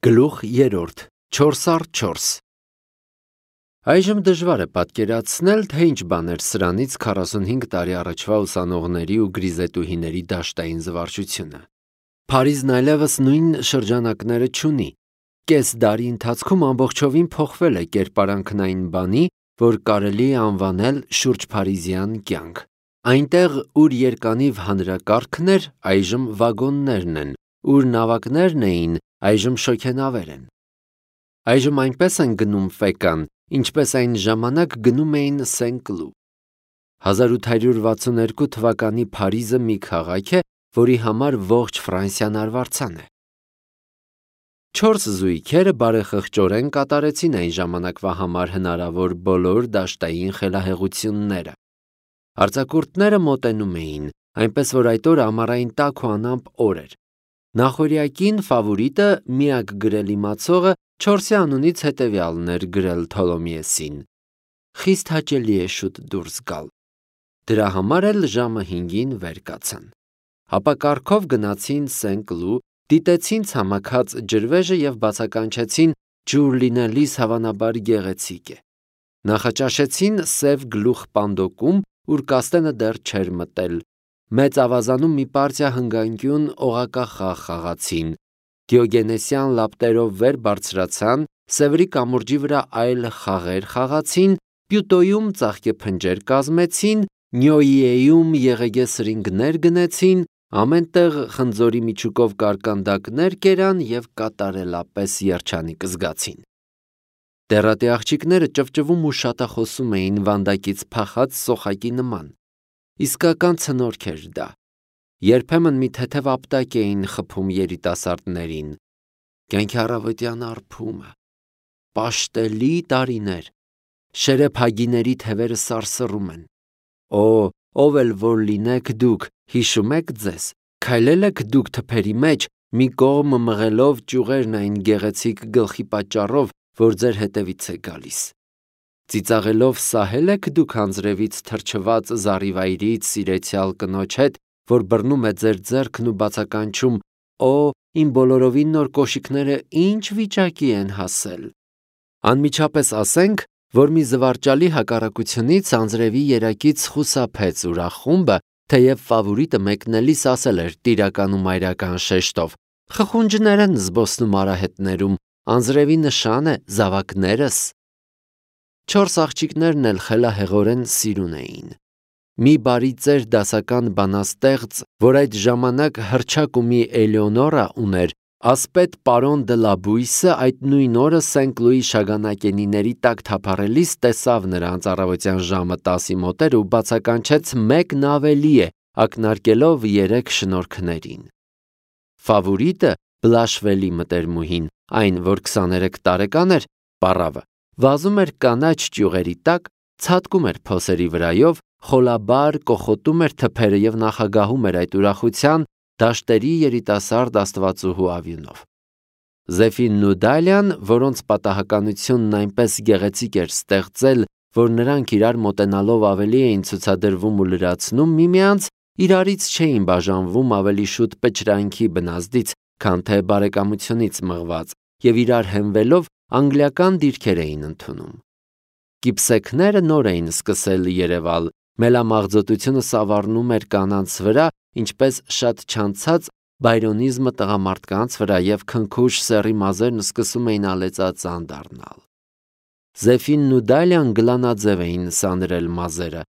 Գլուխ 3 4x4 Այժմ դժվար է պատկերացնել, թե ինչ բան էր սրանից 45 տարի առաջվա ուսանողների ու գրիզետուհիների դաշտային զվարճությունը։ Փարիզն այլևս նույն շրջանակները չունի։ Կես դարի ընթացքում ամբողջովին փոխվել է կերպարանքն այն բանի, որ կարելի է անվանել շուրջփարիզյան կյանք։ Այնտեղ, ուր երկանիվ հանրակարգն էր, այժմ վագոններն են, ուր նավակներն էին, այժմ շոգենավեր են։ Այժմ այնպես են գնում Ֆեկան, ինչպես այն ժամանակ գնում էին Սեն-Կլու։ 1862 թվականի Փարիզը մի քաղաք է, որի համար ողջ Ֆրանսիան արվարձան է։ 4 զույգերը բարեխղճորեն կատարեցին այն ժամանակվա համար հնարավոր բոլոր դաշտային խելահեղությունները։ Արձակուրդները մոտենում էին, այնպես որ այդ օրը ամառային տաք ու անամպ օր էր։ Նախօրյակին ֆավորիտը միակ գրել իմացողը 4-ի անունից հետևյալն էր գրել Թոլոմիեսին. «Խիստ հաճելի է շուտ դուրս գալ»։ Դրա համար էլ ժամը 5-ին վեր կացան։ Ապա կառքով գնացին Սեն-Կլու, դիտեցին ցամաքած ջրվեժը և բացականչեցին ջուր լինելիս հավանաբար գեղեցիկ է։ Նախաճաշեցին սև գլուխ պանդոկում, ուր Կաստենը դեռ չէր մտել։ Մեծ ավազանում մի պարտիա հնգանկյուն օղակախաղ խաղացին։ Դիոգենեսյան լապտերով վեր բարձրացան, Սևրի կամուրջի վրա այլ խաղեր խաղացին, Պյուտոյում ծաղկեփնջեր կազմեցին, Նյոյիեում եղեգե սրինգներ գնեցին, ամեն տեղ խնձորի միջուկով կարկանդակներ կերան և կատարելապես երջանիկ զգացին։ Դեռատի աղջիկները ճվճվում ու շատախոսում էին վանդակից փախած սոխակի նման։ Իսկական ցնորք էր դա։ Երբեմն մի թեթև ապտակ էին խփում երիտասարդներին։ Կյանքի առավոտյան արբումը, պաշտելի տարիներ, շերեփհագիների թևերը սարսռում են։ Օ, ով էլ որ լինեք դուք, հիշում եք ձեզ, քայլել եք դուք թփերի մեջ, մի կողմ մղելով ճյուղերն այն գեղեցիկ գլխի պատճառով, որ ձեր հետևից է գալիս։ Ծիծաղելով սահել եք դուք անձրևից թրջված զառիվայրից սիրեցյալ կնոջ հետ, որ բռնում է ձեր ձեռքն ու բացականչում. «Օ, իմ բոլորովին նոր կոշիկները ինչ վիճակի են հասել»։ Անմիջապես ասենք, որ մի զվարճալի հակառակությունից անձրևի երակից խուսափեց ուրախ խումբը, թեև ֆավորիտը մեկնելիս ասել էր տիրական ու մայրական շեշտով. «Խխունջներ են զբոսնում արահետներում, անձրևի նշան է, զավակներս»։ 4 աղջիկներն էլ խելահեղորեն սիրուն էին։ Մի բարի ծեր դասական բանաստեղծ, որ այդ ժամանակ հռչակ ու մի Էլեոնորա ուներ, ասպետ պարոն դը Լաբույսը այդ նույն օրը Սեն-Կլուի շագանակենիների տակ թափառելիս տեսավ նրանց առավոտյան ժամը 10-ի մոտեր ու բացականչեց մեկն ավելի է, ակնարկելով 3 շնորհքներին։ Ֆավորիտը, Բլաշվելի մտերմուհին, այն, որ 23 տարեկան էր, պառավը, վազում էր կանաչ ճյուղերի տակ, ցատկում էր փոսերի վրայով, խոլաբար կոխոտում էր թփերը և նախագահում էր այդ ուրախության դաշտերի երիտասարդ աստվածուհու ավյունով։ Զեֆինն ու Դալիան, որոնց պատահականությունն այնպես գեղեցիկ էր ստեղծել, որ նրանք իրար մոտենալով ավելի էին ցուցադրվում ու լրացնում միմյանց, իրարից չէին բաժանվում ավելի շուտ պճրանքի բնազդից, քան թե բարեկամությունից մղված, և իրար հենվելով անգլիական դիրքեր էին ընդունում։ Կիպսեքները նոր էին սկսել երևալ, մելամաղձոտությունը սավառնում էր կանանց վրա, ինչպես շատ չանցած բայրոնիզմը տղամարդկանց վրա, և քնքուշ սեռի մազերն սկսում էին ալեծածան դառնալ։ Զեֆինն ու Դալիան գլանաձև էին սանրել մազերը։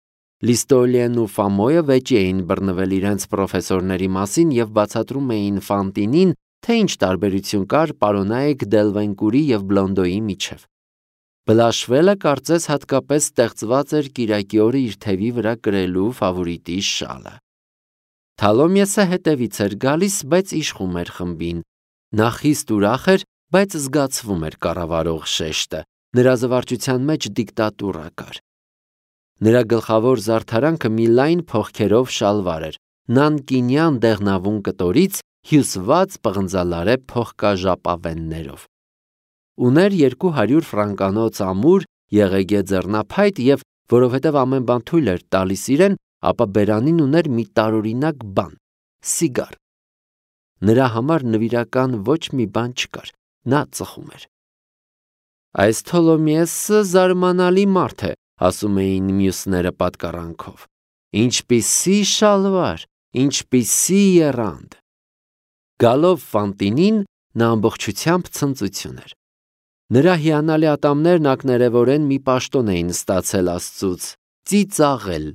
Լիստոլիեն ու Ֆամոյը վեճի էին բռնվել իրենց պրոֆեսորների մասին և բացատրում էին Ֆանտինին, թե ինչ տարբերություն կար պարոնայք Դելվենկուրի և Բլոնդոյի միջև։ Բլաշվելը կարծես հատկապես ստեղծված էր կիրակի օրը իր թևի վրա կրելու ֆավորիտի շալը։ Թալոմիեսը հետևից էր գալիս, բայց իշխում էր խմբին։ Նա խիստ ուրախ էր, բայց զգացվում էր կառավարող շեշտը։ Նրա զվարճության մեջ դիկտատուրա կար։ Նրա գլխավոր զարդարանքը մի լայն փողքերով շալվար էր, նանկինյան դեղնավուն կտորից հյուսված պղնձալարե փողկաժապավեններով։ Ուներ 200 ֆրանկանոց ամուր, եղեգե ձեռնափայտ և, որովհետև ամեն բան թույլ էր տալիս իրեն, ապա բերանին ուներ մի տարօրինակ բան՝ սիգար։ Նրա համար նվիրական ոչ մի բան չկար, նա ծխում էր։ Այս Թոլոմեսը զարմանալի մարդ է, ասում էին մյուսները պատկառանքով։ Ինչպիսի շալվար, ինչպիսի եռանդ։ Գալով Ֆանտինին, նա ամբողջությամբ ցնծություն էր։ Նրա հիանալի ատամներն ակներևորեն մի պաշտոն էին ստացել Աստծուց՝ ծիծաղել։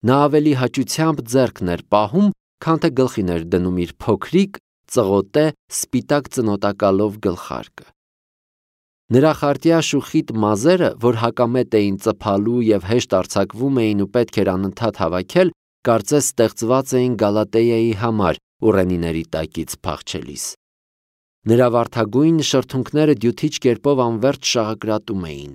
Նա ավելի հաճությամբ ձեռքն էր պահում, քան թե գլխին էր դնում իր փոքրիկ, ծղոտե, սպիտակ ծնոտակալով գլխարկը։ Նրա խարտյաշ ու խիտ մազերը, որ հակամետ էին ծփալու և հեշտ արձակվում էին ու պետք էր անընդհատ հավաքել, կարծես ստեղծված էին Գալատեայի համար ուռենիների տակից փախչելիս։ Նրա վարդագույն շրթունքները դյութիչ կերպով անվերջ շաղակրատում էին։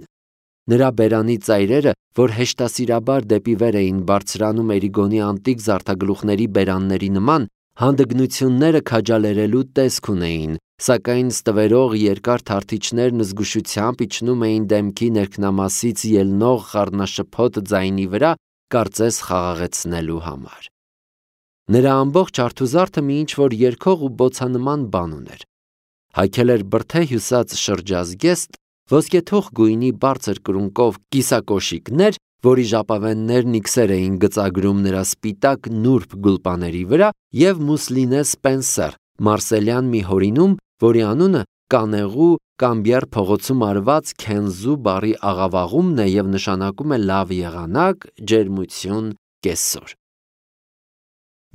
Նրա բերանի ծայրերը, որ հեշտասիրաբար դեպի վեր էին բարձրանում Էրիգոնի անտիկ զարդագլուխների բերանների նման, հանդգնությունները քաջալերելու տեսք ունեին, սակայն ստվերող երկար թարթիչներն զգուշությամբ իջնում էին դեմքի ներքնամասից ելնող խառնաշփոթ ձայնի վրա, կարծես խաղաղեցնելու համար։ Նրա ամբողջ արթուզարդը մի ինչ-որ երգող ու բոցանման բան ուներ։ Հագել էր բրդե հյուսած շրջազգեստ, ոսկեթող գույնի բարձր կրունկով կիսակոշիկներ, որի ժապավեններն իքսեր էին գծագրում նրա սպիտակ նուրբ գուլպաների վրա, և մուսլինե սպենսեր, մարսելյան մի հորինում, որի անունը կանեղու Կամբիար փողոցում արված քենզու բառի աղավաղումն է և նշանակում է լավ եղանակ, ջերմություն, կեսօր։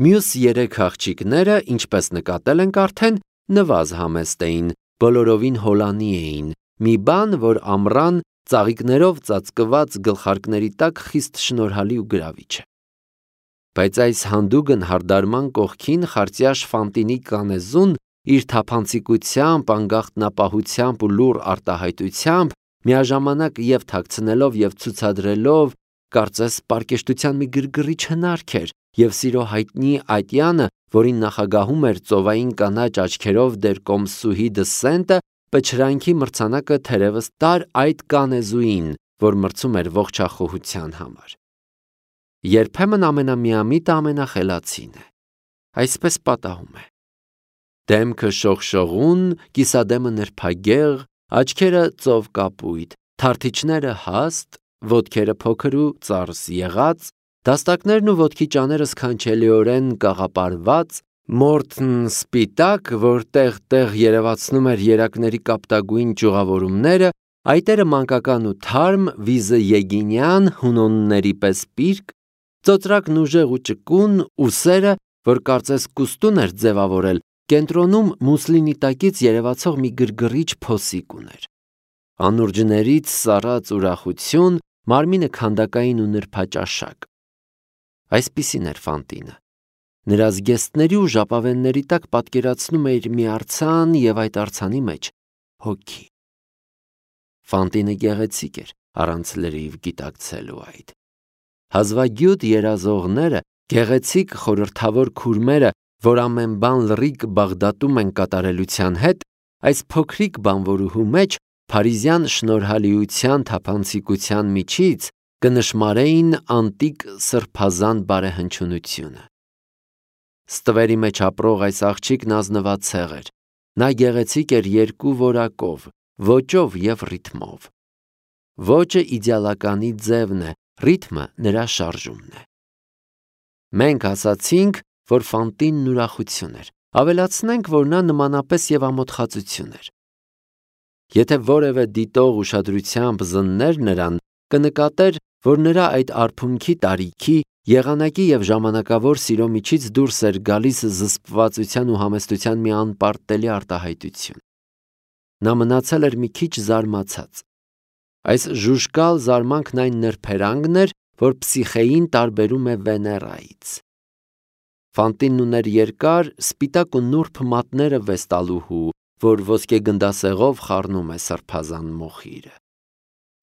Մյուս երեք աղջիկները, ինչպես նկատել ենք արդեն, նվազ համեստ էին, բոլորովին հոլանի էին, մի բան, որ ամռան ծաղիկներով ծածկված գլխարկների տակ խիստ շնորհալի ու գրավիչ է։ Բայց այս հանդուգն հարդարման կողքին խարտյաշ Ֆանտինի կանեզուն իր թափանցիկությամբ, անգախտնապահությամբ ու լուռ արտահայտությամբ, միաժամանակ և թաքցնելով և ցուցադրելով, կարծես պարկեշտության մի գրգռիչ հնարք էր, և սիրո հայտնի ատյանը, որին նախագահում էր ծովային կանաչ աչքերով դեր կոմսուհի դը Սենտը, պչրանքի մրցանակը թերևս տար այդ կանեզուին, որ մրցում էր ողջախոհության համար։ Երբեմն ամենամիամիտը ամենախելացին է, այսպես պատահում է։ Դեմքը շողշողուն, կիսադեմը նրբագեղ, աչքերը ծովկապույտ, թարթիչները հաստ, ոտքերը փոքր ու ծարս եղած, դաստակներն ու ոտքի ճաները սքանչելիորեն կաղապարված, մորթն սպիտակ, որ տեղ-տեղ երևացնում էր երակների կապտագույն ճյուղավորումները, այտերը մանկական ու թարմ, վիզը եգինյան, հունոնների պես պիրկ, ծոծրակն ուժեղ ու ճկուն, ուսերը, որ կարծես կուստուն էր ձևավորել, կենտրոնում մուսլինի տակից երևացող մի գրգռիչ փոսիկ ուներ։ Անուրջներից սառած ուրախություն, մարմինը քանդակային ու նրբաճաշակ։ Այսպիսին էր Ֆանտինը։ Նրա զգեստների ու ժապավենների տակ պատկերացնում էր մի արձան և այդ արձանի մեջ հոգի։ Ֆանտինը գեղեցիկ էր, առանց լրիվ գիտակցելու այդ։ Հազվագյուտ երազողները, գեղեցիկ խորհրդավոր քուրմերը, որ ամեն բան լրիկ Բաղդադում են կատարելության հետ, այս փոքրիկ բանվորուհու մեջ փարիզյան շնորհալիության թափանցիկության միջից կնշմարեին անտիկ սրբազան բարեհնչյունությունը։ Ստվերի մեջ ապրող այս աղջիկն ազնվացեղ էր։ Նա գեղեցիկ էր երկու որակով, ոճով և ռիթմով։ Ոճը իդեալականի ձևն է, ռիթմը նրա շարժումն է։ Մենք ասացինք, որ Ֆանտինն ուրախություն էր, ավելացնենք, որ նա նմանապես և ամոթխածություն էր։ Եթե որևէ դիտող ուշադրությամբ զններ նրան, կնկատեր, որ նրա այդ արփունքի տարիքի, եղանակի և ժամանակավոր սիրո միջից դուրս էր գալիս զսպվածության ու համեստության մի անպարտելի արտահայտություն։ Նա մնացել էր մի քիչ զարմացած։ Այս ժուժկալ զարմանքն այն նրբերանգն էր, որ Պսիխեին տարբերում է Վեներայից։ Ֆանտինն ուներ երկար, սպիտակ ու նուրբ մատները վեստալուհու, որ ոսկե գնդասեղով խառնում է սրբազան մոխիրը։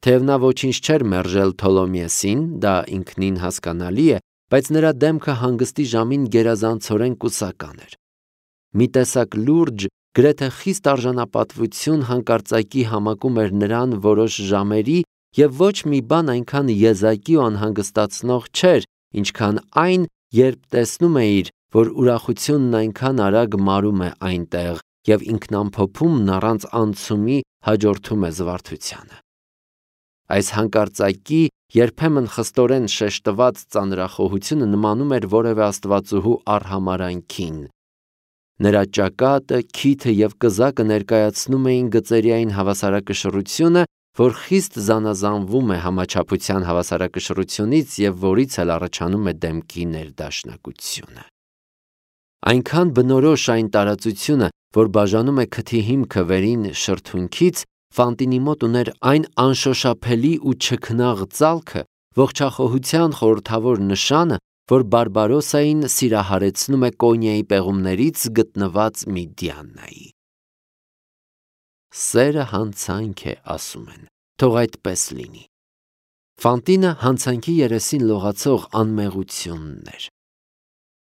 Թեև նա ոչինչ չէր մերժել Թոլոմեսին, դա ինքնին հասկանալի է, բայց նրա դեմքը հանգստի ժամին գերազանցորեն կուսական էր։ Մի տեսակ լուրջ, գրեթե խիստ արժանապատվություն հանկարծակի համակում էր նրան որոշ ժամերի և ոչ մի բան այնքան եզակի ու անհանգստացնող չէր, ինչքան այն, երբ տեսնում էիր, որ ուրախությունն այնքան արագ մարում է այնտեղ, և ինքնամփոփումն առանց անցումի հաջորդում է զվարթությանը։ Այս հանկարծակի, երբեմն խստորեն շեշտված ծանրախոհությունը նմանում էր որևէ աստվածուհու արհամարհանքին։ Նրա ճակատը, քիթը և կզակը ներկայացնում էին գծերային հավասարակշռությունը, որ խիստ զանազանվում է համաչափության հավասարակշռությունից և որից էլ առաջանում է դեմքի ներդաշնակությունը։ Այնքան բնորոշ այն տարածությունը, որ բաժանում է քթի հիմքը վերին շրթունքից, Ֆանտինի մոտ ուներ այն անշոշափելի ու չքնաղ ծալքը, ողջախոհության խորհրդավոր նշանը, որ Բարբարոսային սիրահարեցնում է Կոնիայի պեղումներից գտնված մի Դիանայի։ Սերը հանցանք է, ասում են, թող այդպես լինի։ Ֆանտինը հանցանքի երեսին լողացող անմեղությունն էր։